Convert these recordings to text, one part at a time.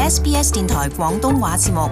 SBS 電台廣東話節目。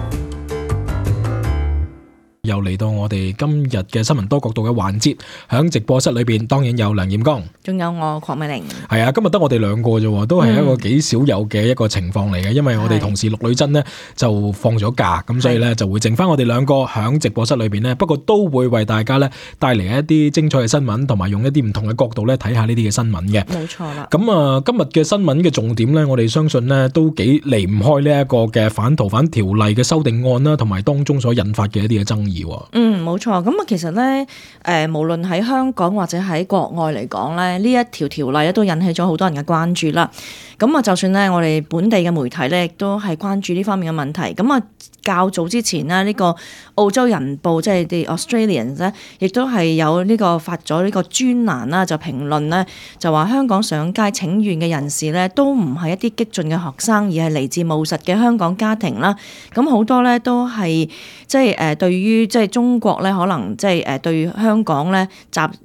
又嚟到我哋今日嘅新聞多角度嘅環節，喺直播室裏邊當然有梁艷剛，仲有我鄺美玲。係啊，今日得我哋兩個啫，都係一個幾少有嘅一個情況嚟嘅，因為我哋同事陸女珍呢就放咗假，咁所以呢就會剩翻我哋兩個喺直播室裏邊呢，不過都會為大家呢帶嚟一啲精彩嘅新聞，同埋用一啲唔同嘅角度呢睇下呢啲嘅新聞嘅。冇錯啦。咁啊，今日嘅新聞嘅重點呢，我哋相信呢都幾離唔開呢一個嘅反逃犯條例嘅修訂案啦，同埋當中所引發嘅一啲嘅爭議。冇錯。咁啊，其實咧，無論喺香港或者喺國外嚟講咧，呢一條條例咧都引起咗好多人嘅關注啦。咁啊，就算咧我哋本地嘅媒體咧，亦都係關注呢方面嘅問題。咁啊，較早之前呢，呢個澳洲人報即係 The Australians 咧，亦都係有呢個發咗呢個專欄啦，就評論咧，就話香港上街請願嘅人士咧，都唔係一啲激進嘅學生，而係嚟自務實嘅香港家庭啦。咁好多咧都係即係對於即係中國咧，可能即係對香港咧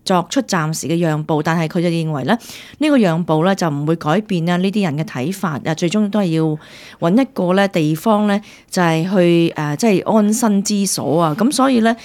作出暫時嘅讓步，但係佢就認為咧呢個讓步咧就唔會改變啊呢啲人嘅睇法啊，最終都係要揾一個咧地方咧就係去即係安身之所啊。咁所以咧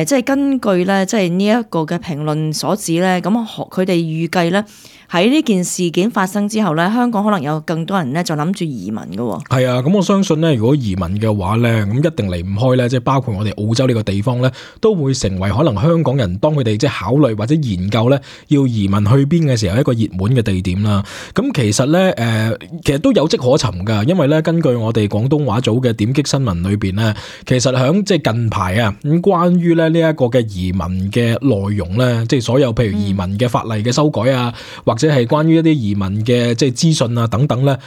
即係根據咧即係呢一個嘅評論所指咧，咁佢哋預計咧喺呢件事件發生之後咧，香港可能有更多人咧就諗住移民嘅。係啊，咁我相信咧，如果移民嘅話咧，咁一定離唔開咧，即係包括我哋澳洲呢個地方咧，都會成為可能香港人當佢哋即係考慮或者研究咧要移民去邊嘅時候一個熱門嘅地點啦。咁其實咧其實都有跡可尋㗎，因為咧根據我哋廣東話組嘅點擊新聞裏邊咧，其實響即係近排啊咁關於咧呢一個嘅移民嘅內容咧，即係所有譬如移民嘅法例嘅修改啊，或者係關於一啲移民嘅即係資訊啊等等咧，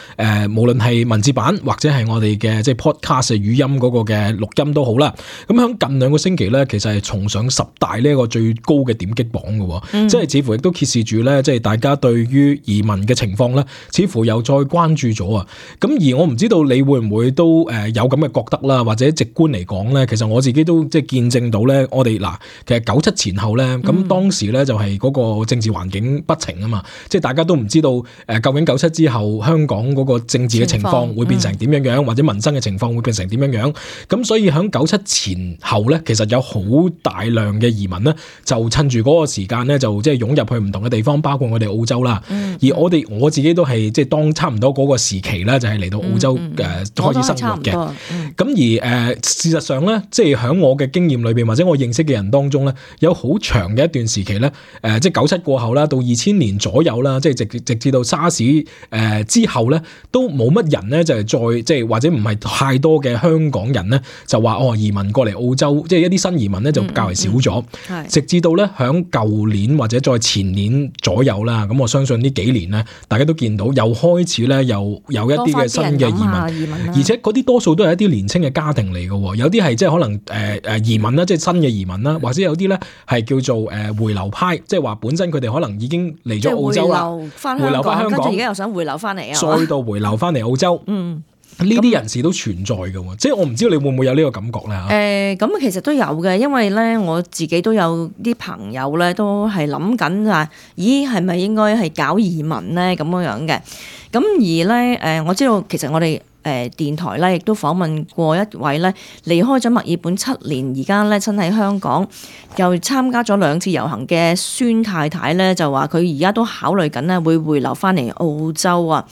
無論係文字版或者係我哋嘅即係 podcast 語音嗰個嘅錄音都好啦。咁響近兩個星期咧，其實係重上10大呢一個最高嘅點擊榜嘅，即係似乎亦都揭示住咧，即係大家對於移民嘅情況咧，似乎又再關注咗啊。咁而我唔知道你會唔會都有咁嘅覺得啦，或者直觀嚟講咧，其實我自己都即係見證到咧，我哋其實97前後咧，咁當時咧就係嗰個政治環境不情啊嘛。即係大家都唔知道究竟97之後香港嗰個政治嘅情況會變成點樣樣，或者民生嘅情況會變成點樣樣。咁所以喺97前後咧，其實有好大量嘅移民咧，就趁住嗰個時間咧，就即係湧入去唔同嘅地方，包括我哋澳洲啦。而我自己都係即係當差唔多嗰個時期咧，就係嚟到澳洲開始生活嘅。咁而事實上咧，即係喺我嘅經驗裏邊，或者我認識嘅人當中咧，有好長嘅一段時期咧，即係97過後啦，到2000年左右啦，即係直至到沙士之後咧，都冇乜人咧就係再即係或者唔係太多嘅香港人咧就話移民過嚟澳洲，即係一啲新移民咧就較為少咗。直至到咧響舊年或者再前年左右啦，咁我相信呢幾年咧，大家都見到又開始咧又有一啲嘅新嘅移民，而且嗰啲多數都係一啲年青嘅家庭嚟嘅，有啲係即係可能移民啦，即係新嘅移民啦，或者有啲咧係叫做回流派，即係話本身佢哋可能已經嚟咗澳洲啦，回流翻香港，跟住而家又想回流翻嚟啊，再度回流翻嚟澳洲。呢啲人士都存在嘅，即係我唔知道你會唔會有呢個感覺咧？咁其實都有嘅，因為咧我自己都有啲朋友咧都係諗緊啊，咦係咪應該係搞移民咧咁樣嘅？咁而咧我知道其實我哋電台咧亦都訪問過一位咧離開咗墨爾本7年，而家咧身喺香港，又參加咗2次遊行嘅孫太太咧，就話佢而家都考慮緊咧會回流翻嚟澳洲啊。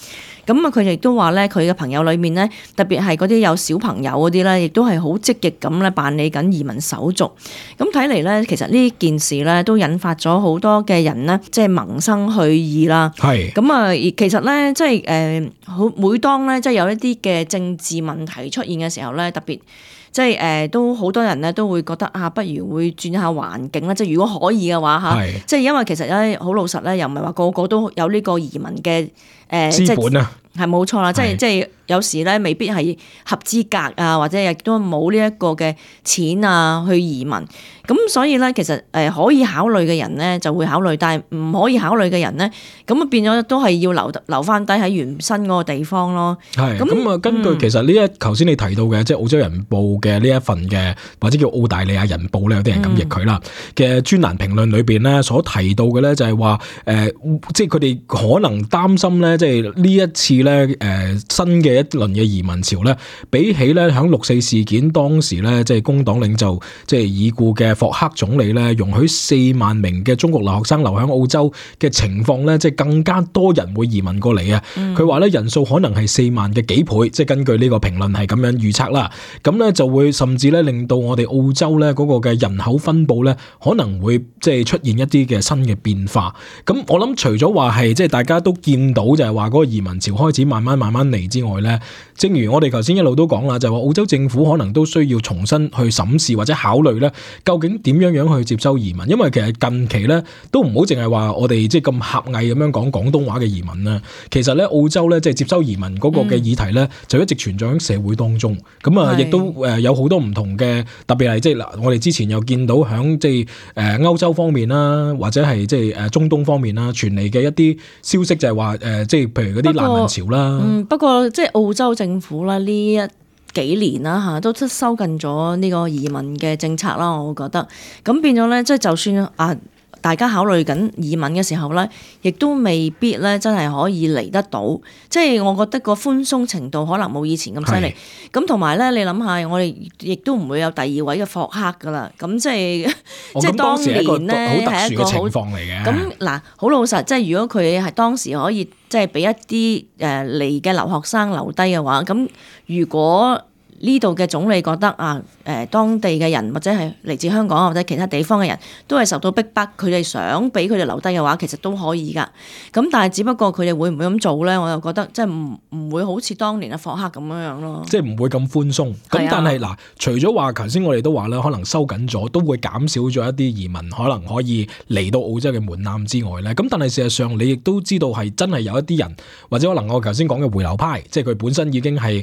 咁啊，佢亦都話咧，佢嘅朋友裏面咧，特別係嗰啲有小朋友嗰啲咧，亦都係好積極咁咧辦理緊移民手續。咁睇嚟咧，其實呢件事咧都引發咗好多嘅人咧，即係萌生去意啦。係。咁啊，而其實咧，即係每當咧，即係有一啲嘅政治問題出現嘅時候咧，特別。即係都好多人咧都會覺得不如會轉下環境啦。即係如果可以嘅話嚇，即係因為其實咧好老實咧，又唔係話個個都有呢個移民嘅資本啊，係冇錯啦。即係有時咧未必係合資格啊，或者亦都冇呢一個嘅錢啊去移民。咁所以咧，其實可以考慮嘅人咧就會考慮，但係唔可以考慮嘅人咧，咁啊變咗都係要留翻低喺原身嗰個地方咯。係咁啊，根據其實呢頭先你提到嘅，即係澳洲人報嘅呢一份嘅，或者叫澳大利亞人報咧，有啲人咁譯佢啦嘅專欄評論裏邊咧，所提到嘅咧就係話即係佢哋可能擔心咧，即係呢一次咧新嘅一輪嘅移民潮咧，比起咧響6.4事件當時咧，即係工黨領袖即係已故嘅霍克總理咧，容許4萬名嘅中國留學生留喺澳洲嘅情況咧，即係更加多人會移民過嚟啊！佢話咧人數可能係4萬嘅幾倍，即係根據呢個評論係咁樣預測啦。咁咧就會甚至咧令到我哋澳洲咧嗰個嘅人口分佈咧可能會即係出現一啲嘅新嘅變化。咁我諗除咗話係即係大家都見到就係話嗰個移民潮開始慢慢嚟之外咧，正如我哋頭先一路都講啦，就係話澳洲政府可能都需要重新去審視或者考慮咧，究竟點樣去接收移民？因為其實近期咧都唔好淨係話我哋即係咁狹隘咁樣講廣東話嘅移民啦。其實咧澳洲咧即係接收移民嗰個嘅議題咧，就一直存在喺社會當中。咁啊，亦都有好多唔同嘅，特別係即係嗱，我哋之前又見到響即係歐洲方面啦，或者係即係中東方面啦，傳嚟嘅一啲消息就係話即係譬如嗰啲難民潮啦。不過即係澳洲政府啦呢幾年啦嚇，都收緊咗呢個移民嘅政策啦，我覺得咁變咗咧，即係就算大家考慮緊移民嘅時候咧，亦都未必咧真係可以嚟得到。即係我覺得個寬鬆程度可能冇以前咁犀利。咁同埋咧，你諗下，我哋亦都唔會有第二位嘅霍克噶啦。咁即係當年咧係一個好特殊嘅情況嚟嘅。咁嗱，好老實，即係如果佢係當時可以即係俾一啲嚟嘅留學生留低嘅話，咁如果呢度嘅總理覺得當地嘅人或者係嚟自香港或者其他地方嘅人都係受到逼迫，佢哋想俾佢哋留低嘅話，其實都可以㗎。咁但係只不過佢哋會唔會咁做咧？我又覺得即係唔會好似當年嘅霍克咁樣咯。即係唔會咁寬鬆。咁但係嗱，除咗話頭先我哋都話咧，可能收緊咗，都會減少咗一啲移民可能可以嚟到澳洲嘅門檻之外咧。咁但係事實上你亦都知道係真係有一啲人，或者可能我頭先講嘅回流派，即係佢本身已經係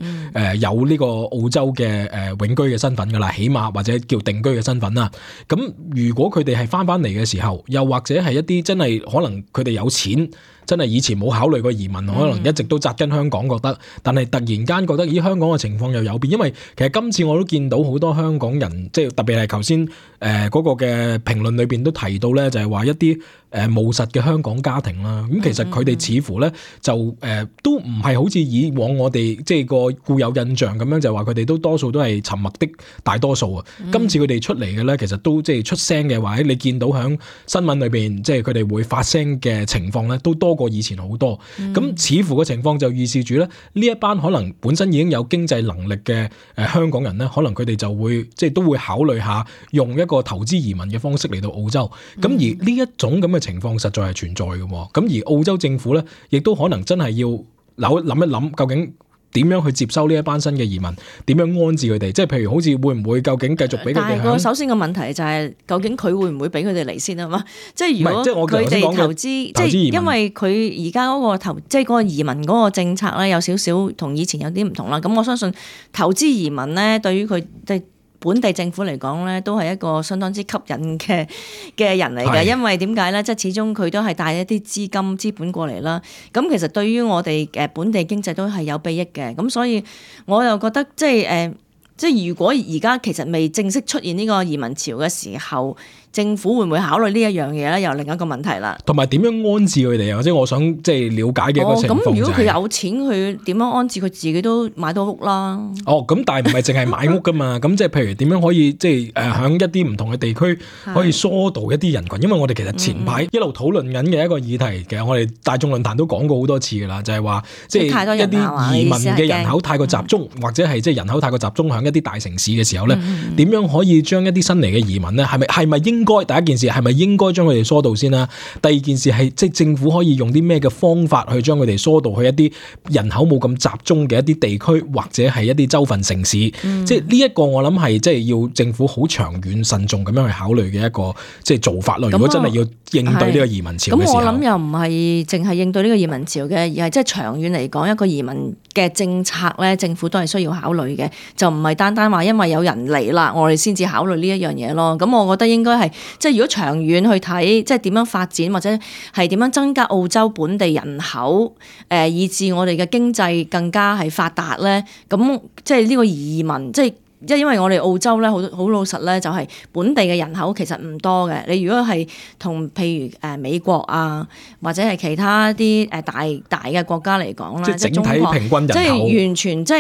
有呢個澳洲嘅永居嘅身份噶啦，起碼或者叫定居嘅身份啦。咁如果佢哋係翻嚟嘅時候，又或者係一啲真係可能佢哋有錢，真係以前冇考慮過移民，可能一直都紮根香港，覺得，但係突然間覺得咦香港嘅情況又有變，因為其實今次我都見到好多香港人，即係特別係頭先嗰個嘅評論裏邊都提到咧，就係話一啲務實嘅香港家庭啦。咁其實佢哋似乎咧就都唔係好似以往我哋即係個固有印象咁樣，就話佢哋都多數都係沉默的大多數啊。今次佢哋出嚟嘅咧，其實都即係出聲嘅話，你見到響新聞裏邊，即係佢哋會發聲嘅情況咧，都多過以前好多。咁似乎嘅情況就預示住咧，呢一班可能本身已經有經濟能力嘅香港人咧，可能佢哋就會即係都會考慮下用一個投資移民嘅方式嚟到澳洲。咁而呢一種咁嘅情況實在係存在嘅。咁而澳洲政府咧，亦都可能真係要諗一諗，究竟點樣去接收呢一班新嘅移民？點樣安置佢哋？即係譬如好似會唔會究竟繼續俾佢哋？但係首先個問題就係究竟佢會唔會俾佢哋嚟先啊嘛？即係如果佢哋投資，即係因為佢而家嗰個即係嗰個移民嗰個政策咧，有少少同以前有啲唔同啦。咁我相信投資移民咧，對於佢本地政府嚟講咧，都係一個相當之吸引嘅人嚟嘅，因為點解咧？即係始終佢都係帶一啲資本過嚟啦。咁其實對於我哋本地經濟都係有裨益嘅。咁所以我又覺得即係如果而家其實未正式出現呢個移民潮嘅時候，政府會唔會考慮呢一樣嘢咧？又另一個問題啦。同埋點樣安置佢哋啊？或者我想即係了解嘅一個情況就係，咁如果佢有錢，佢點樣安置佢自己都買到屋啦。咁但係唔係淨係買屋噶嘛？咁即係譬如點樣可以即係響一啲唔同嘅地區可以疏導一啲人群？因為我哋其實前排一路討論緊嘅一個議題，其實我哋大眾論壇都講過好多次噶啦，就係話即係一啲移民嘅人口太過集中，或者係即係人口太過集中響一啲大城市嘅時候咧，點樣可以將一啲新嚟嘅移民咧，係咪應該第一件事係咪應該將佢哋疏導先啦？第二件事係即係政府可以用啲咩嘅方法去將佢哋疏導去一啲人口冇咁集中嘅一啲地區或者係一啲州份城市？即係呢一個我諗係即係要政府好長遠慎重咁樣去考慮嘅一個即係做法咯。如果真係要應對呢個移民潮嘅時候，咁我諗又唔係淨係應對呢個移民潮嘅，而係即係長遠嚟講一個移民嘅政策咧，政府都係需要考慮嘅，就唔係單單話因為有人嚟啦，我哋先至考慮呢一樣嘢咯。咁我覺得應該係即係如果長遠去睇，即係點樣發展或者係點樣增加澳洲本地人口，以致我哋嘅經濟更加係發達咧。咁即係呢個移民，即係因為我哋澳洲咧好老實咧，就係本地嘅人口其實唔多嘅。你如果係同譬如美國啊，或者係其他啲大嘅國家嚟講啦，即係整體平均人口，即係完全即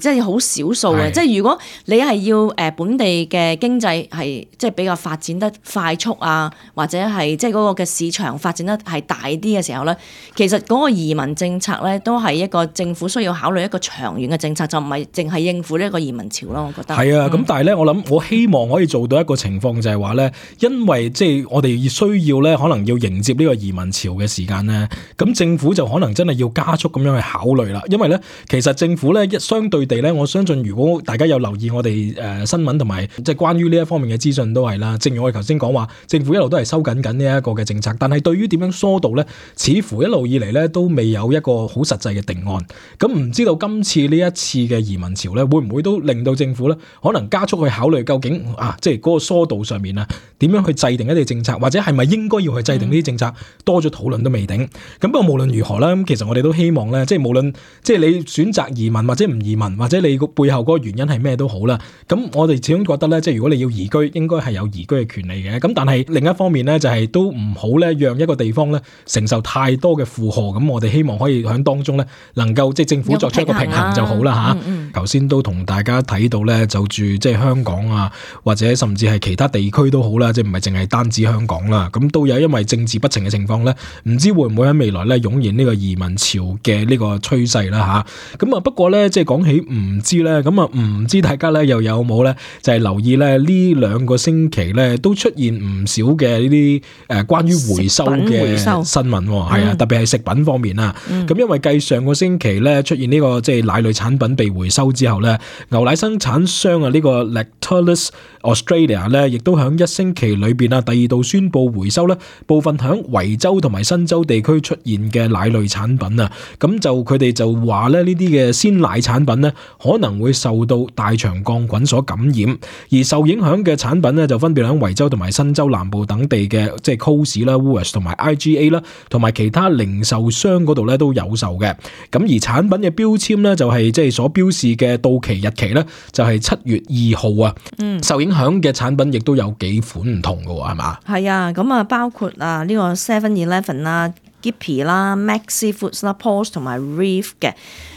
係好少數嘅。即係如果你係要本地嘅經濟係即係比較發展得快速啊，或者係即係嗰個嘅市場發展得係大啲嘅時候咧，其實嗰個移民政策咧都係一個政府需要考慮一個長遠嘅政策，就唔係淨係應付呢一個移民潮咯。我覺得係啊，咁但係咧，我希望可以做到一個情況就係話咧，因為即係我哋需要咧，可能要迎接呢個移民潮嘅時間咧，咁政府就可能真係要加速咁樣去考慮啦。因為咧，其實政府咧相對地咧，我相信如果大家有留意我哋新聞同埋即係關於呢一方面嘅資訊都係啦。正如我哋頭先講話，政府一路都係收緊呢一個嘅政策，但係對於點樣疏導咧，似乎一路以嚟咧都未有一個好實際嘅定案。咁唔知道今次呢一次嘅移民潮咧，會唔會都令到政府咧可能加速去考慮究竟即係嗰個疏導上面啊，點樣去制定一啲政策，或者係咪應該要去制定呢啲政策，多咗討論都未定。咁不過無論如何啦，咁其實我哋都希望咧，即係無論即係你選擇移民或者唔移民，或者你個背後嗰個原因係咩都好啦。咁我哋始終覺得咧，即係如果你要移居，應該係有移居嘅權利嘅。咁但係另一方面咧，就係都唔好咧，讓一個地方咧承受太多嘅負荷。咁我哋希望可以喺當中咧，能夠即係政府作出一個平衡就好啦嚇。頭先都同大家睇到咧，就住即係香港啊，或者甚至係其他地區都好啦，即係唔係淨係單止香港啦。咁都有因為政治不情嘅情況咧，唔知會唔會喺未來咧湧現呢個移民潮嘅呢個趨勢啦嚇。咁不過咧，即係講起唔知咧，咁唔知大家咧又有冇咧，就係留意咧呢兩個星期咧都出現唔少嘅呢啲關於回收嘅新聞喎，係啊，特別係食品方面啦。咁因為繼上個星期咧出現呢個即係奶類產品被回收之後咧，牛奶生產商呢個 Lactalis Australia 咧，亦都喺一星期裏邊第二度宣布回收咧部分喺維州同埋新州地區出現嘅奶類產品啊。咁就佢哋就話咧呢啲嘅鮮奶產品咧可能會受到大腸桿菌所感染，而受影響嘅產品咧就分別喺維州同埋新州南部等地嘅即係 Coles 啦、Woolworths 同埋 IGA 啦，同埋其他零售商嗰度咧都有售嘅。咁而產品嘅標籤咧就係即係所標示嘅到期日期咧就係7月2號啊。受影響嘅產品亦都有幾款唔同嘅喎，係嘛？係啊，咁包括呢個 7-Eleven 啦、Skippy 啦、Maxi Foods 啦、Paws 同埋 Reef 嘅。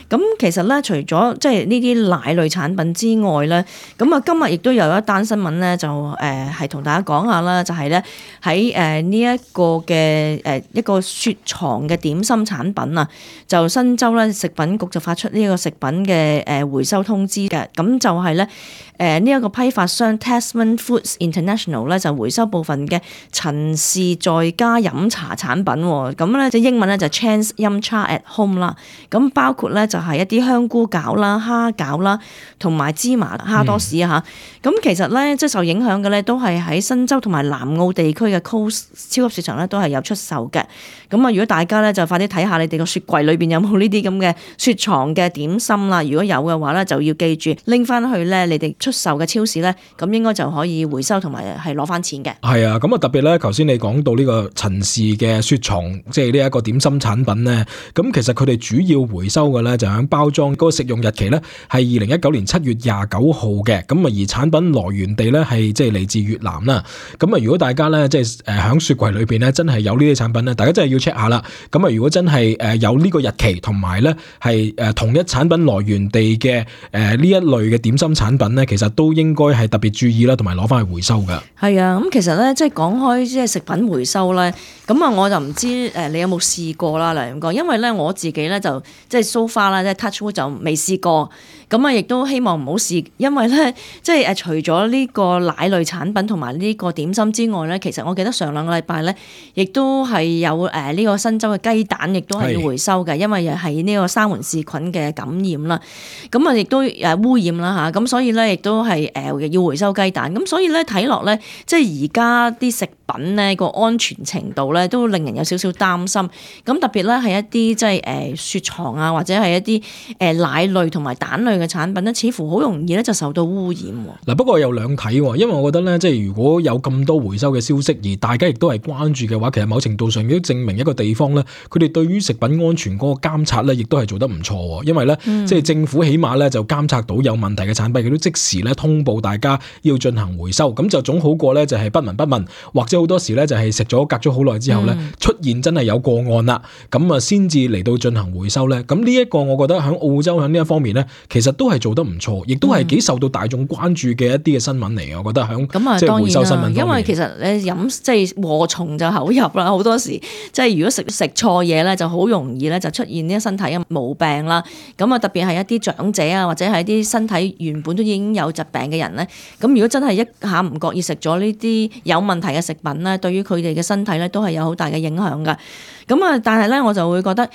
咁其實咧，除咗即係呢啲奶類產品之外咧，咁今日亦都有一單新聞咧，就係同大家講下啦，就係咧喺呢一個嘅一個雪藏嘅點心產品啊，就新州咧食品局就發出呢個食品嘅回收通知嘅，咁就係咧呢一個批發商 Tasman Foods International 咧就回收部分嘅陳氏在家飲茶產品，咁咧即英文咧就 Chan's Yum Cha at Home 啦，咁包括咧就係一啲香菇餃啦、蝦餃啦，同埋芝麻蝦多士啊嚇。咁其實咧，即係受影響嘅咧，都係喺新州同埋南澳地區嘅 Coles 超級市場咧，都係有出售嘅。咁啊，如果大家咧就快啲睇下你哋個雪櫃裏邊有冇呢啲咁嘅雪藏嘅點心啦。如果有嘅話咧，就要記住拎翻去咧你哋出售嘅超市咧，咁應該就可以回收同埋係攞翻錢嘅。係啊，咁啊特別咧，頭先你講到呢個陳氏嘅雪藏，即係呢一個點心產品咧，咁其實佢哋主要回收嘅咧就喺包裝嗰個食用日期咧係2019年7月29號嘅，咁啊而產品來源地咧係即係嚟自越南啦。咁啊如果大家咧即係喺雪櫃裏邊咧真係有呢啲產品咧，大家真係要 check 下啦。咁啊如果真係有呢個日期同埋咧係同一產品來源地嘅呢一類嘅點心產品咧，其實都應該係特別注意啦，同埋攞翻去回收噶。係啊，咁其實咧即係講開即係食品回收咧，咁啊我就唔知你有冇試過啦，梁永哥，因為咧我自己咧就即係 so far 啦，即係 touch wood 就未試過。咁啊，亦都希望唔好試，因為咧，即係除咗呢個奶類產品同埋呢個點心之外咧，其實我記得上兩個禮拜咧，亦都係有呢個新州嘅雞蛋，亦都係要回收嘅，因為又係呢個沙門氏菌嘅感染啦。咁啊，亦都污染啦嚇，咁所以咧，亦都係要回收雞蛋。咁所以咧，睇落咧，即係而家啲食品咧個安全程度咧，都令人有少少擔心。咁特別咧係一啲即係雪藏啊，或者係一一啲奶類同埋蛋類嘅產品咧，似乎好容易咧就受到污染。嗱，不過有兩睇喎，因為我覺得咧，即係如果有咁多回收嘅消息，而大家亦都係關注嘅話，其實某程度上亦都證明一個地方咧，佢哋對於食品安全嗰個監察咧，亦都係做得唔錯喎。因為咧，即係政府起碼咧就監察到有問題嘅產品，佢都即時咧通報大家要進行回收，咁就總好過咧就係不聞不問，或者好多時咧就係食咗隔咗好耐之後咧出現真係有個案啦，咁啊先至嚟到進行回收咧。咁呢一個我覺得喺澳洲喺呢一方面咧，其實都係做得唔錯，亦都係幾受到大眾關注嘅一啲嘅新聞嚟嘅。我覺得喺即係回收新聞方面，因為其實你飲即係禍從就口入啦，好多時即係如果食錯嘢咧，就好容易咧就出現呢啲身體嘅毛病啦。咁啊特別係一啲長者啊，或者係一啲身體原本都已經有疾病嘅人咧，咁如果真係一下唔覺意食咗呢啲有問題嘅食品咧，對於佢哋嘅身體咧都係有好大嘅影響㗎。咁啊，但係咧我就會覺得，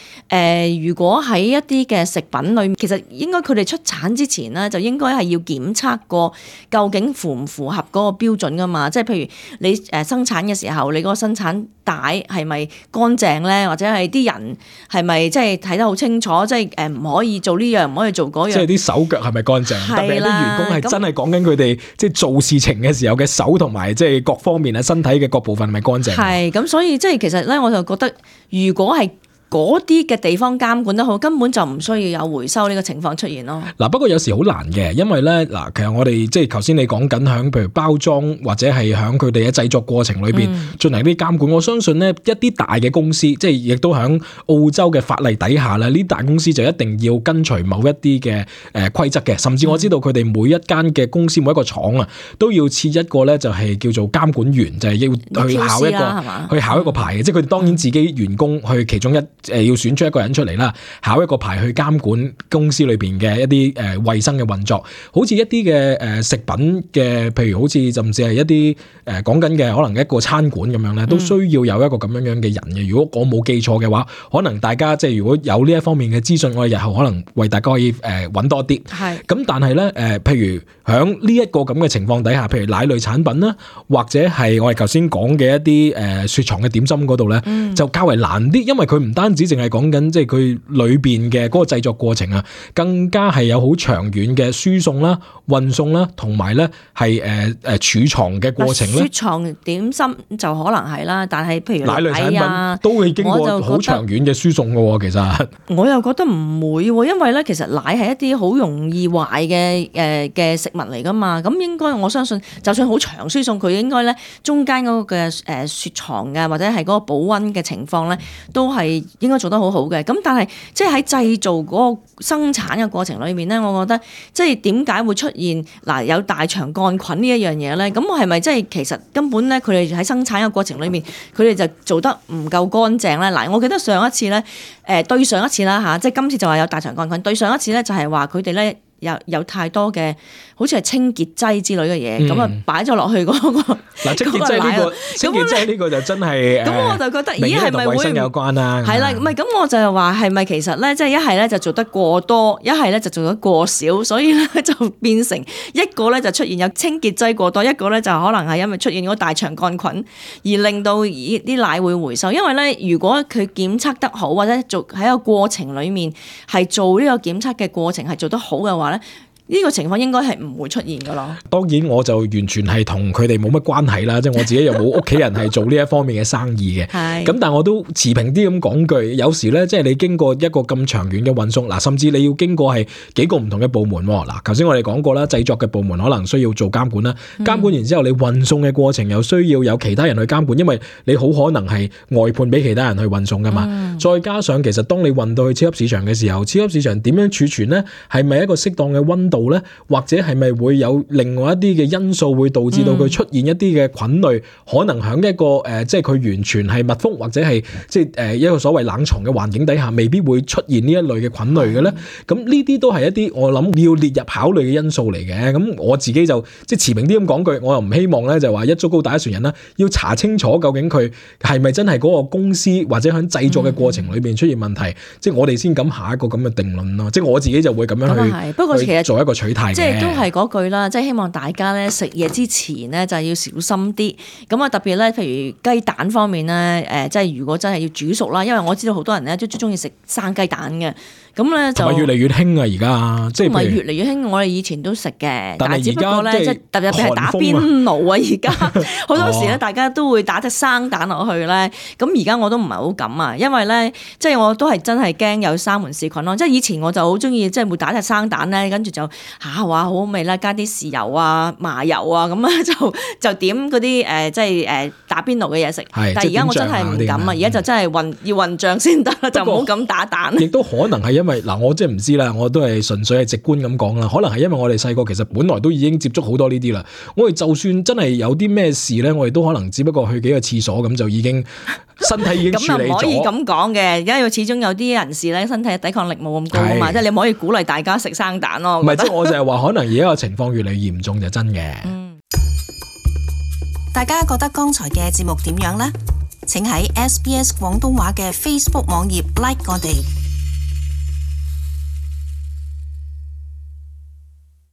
如果喺一啲嘅食品裏面，其實應該佢哋出產之前咧，就應該係要檢測過究竟符唔符合嗰個標準㗎嘛。即係譬如你生產嘅時候，你嗰個生產帶係咪乾淨咧，或者係啲人係咪即係睇得好清楚，即係唔可以做呢樣，唔可以做嗰樣。即係啲手腳係咪乾淨？特別係啲員工係真係講緊佢哋即係做事情嘅時候嘅手同埋即係各方面啊身體嘅各部分係咪乾淨？係咁，所以即係其實咧，我就覺得如果係嗰啲嘅地方監管得好，根本就唔需要有回收呢個情況出現咯。嗱，不過有時好難嘅，因為咧嗱，其實我哋即係頭先你講緊響譬如包裝或者係響佢哋嘅製作過程裏邊進行啲監管，我相信咧一啲大嘅公司，即係亦都響澳洲嘅法例底下咧，呢大公司就一定要跟隨某一啲嘅規則嘅，甚至我知道佢哋每一間嘅公司每一個廠啊，都要設一個咧就係叫做監管員，就係要去考一個去考一個牌嘅，即係佢哋當然自己員工去其中要選出一個人出嚟啦，考一個牌去監管公司裏邊嘅一啲衛生嘅運作，好似一啲嘅食品嘅，譬如好似甚至係一啲講緊嘅可能一個餐館咁樣咧，都需要有一個咁樣嘅人嘅。如果我冇記錯嘅話，可能大家即係如果有呢一方面嘅資訊，我哋日後可能為大家可以揾多啲。係咁，但係咧譬如響呢一個咁嘅情況底下，譬如奶類產品啦，或者係我哋頭先講嘅一啲雪藏嘅點心嗰度咧，就較為難啲，因為佢唔單止淨係講緊即係佢裏邊嘅嗰個製作過程啊，更加係有好長遠嘅輸送啦、運送啦，同埋咧係儲藏嘅過程咧。雪藏點心就可能係啦，但係譬如奶類產品都會經過好長遠嘅輸送嘅喎。其實我又覺得唔會喎，因為咧其實奶係一啲好容易壞嘅食物嚟噶嘛。咁應該我相信，就算好長輸送，佢應該咧中間嗰個嘅雪藏嘅或者係嗰個保溫嘅情況咧，都係應該做得好好嘅。咁但係即係喺製造嗰個生產嘅過程裏面咧，我覺得即係點解會出現有大腸桿菌呢一樣嘢咧？咁我係咪即係其實根本咧佢哋喺生產嘅過程裏面，佢哋就做得唔夠乾淨咧？嗱，我記得上一次咧，對上一次啦嚇，即係今次就話有大腸桿菌，對上一次咧就係話佢哋咧有太多嘅好似係清潔劑之類嘅嘢，咁啊擺咗落去嗰個嗱，清潔劑呢個清潔劑呢個就真係咁我就覺得咦係咪會衛生有關啦？係啦，唔係咁我就係話係咪其實咧，即係一係咧就做得過多，一係咧就做得過少，所以咧就變成一個咧就出現有清潔劑過多，一個咧就可能係因為出現咗大腸桿菌而令到啲奶會回收。因為咧如果佢檢測得好，或者做喺個過程裡面係做呢個檢測嘅過程係做得好嘅話咧，呢個情況應該係唔會出現噶咯。當然我就完全係同佢哋冇乜關係啦，即係我自己又冇屋企人係做呢一方面嘅生意嘅。咁但係我都持平啲咁講句，有時咧即係你經過一個咁長遠嘅運送，嗱甚至你要經過係幾個唔同嘅部門。嗱，頭先我哋講過啦，製作嘅部門可能需要做監管啦，監管完之後你運送嘅過程又需要有其他人去監管，因為你好可能係外判俾其他人去運送噶嘛。再加上其實當你運到去超級市場嘅時候，超級市場點樣儲存呢？係咪一個適當嘅溫度咧？或者係咪會有另外一啲嘅因素會導致到佢出現一啲嘅菌類，可能喺一個即係佢完全係密封或者係即係一個所謂冷藏嘅環境底下，未必會出現呢一類嘅菌類嘅咧？咁呢啲都係一啲我諗要列入考慮嘅因素嚟嘅。咁我自己就即係持平啲咁講句，我又唔希望咧就話一竹篙打一船人啦，要查清楚究竟佢係咪真係嗰個公司或者喺製作嘅過程裏邊出現問題，即係我哋先敢下一個咁嘅定論咯。即係我自己就會咁樣去，不過其實做一個取態，即係都係嗰句啦，即係希望大家咧食嘢之前咧就係要小心啲。咁啊特別咧，譬如雞蛋方面咧，即係如果真係要煮熟啦，因為我知道好多人咧都中意食生雞蛋嘅。咁咧就越嚟越興啊！而家即係唔係越嚟越興，我哋以前都食嘅，但係只不過咧即係特別係打邊爐啊！而家好多時咧，大家都會打隻生蛋落去咧。咁而家我都唔係好敢啊，因為咧即係我都係真係驚有沙門氏菌咯。即係以前我就好中意即係會打隻生蛋咧，跟住就話好好味啦，加啲豉油啊、麻油啊咁啊，就點嗰啲即係打邊爐嘅嘢食。但係而家我真係唔敢啊！而家就真係要混醬先得啦，就唔好咁打蛋。亦都可能係因為嗱，我即係唔知啦，我都係純粹係直觀咁講啦。可能係因為我哋細個其實本來都已經接觸好多呢啲啦。我哋就算真係有啲咩事咧，我哋都可能只不過去幾個廁所咁就已經身體已經處理咗。咁又唔可以咁講嘅，因為始終有啲人士咧身體抵抗力冇咁高啊嘛，即係你唔可以鼓勵大家食生蛋咯。唔係，即係我就係話，可能而家個情況越嚟越嚴重就真嘅。大家覺得剛才嘅節目點樣呢？請喺SBS 廣東話嘅 Facebook 網頁 like 我哋。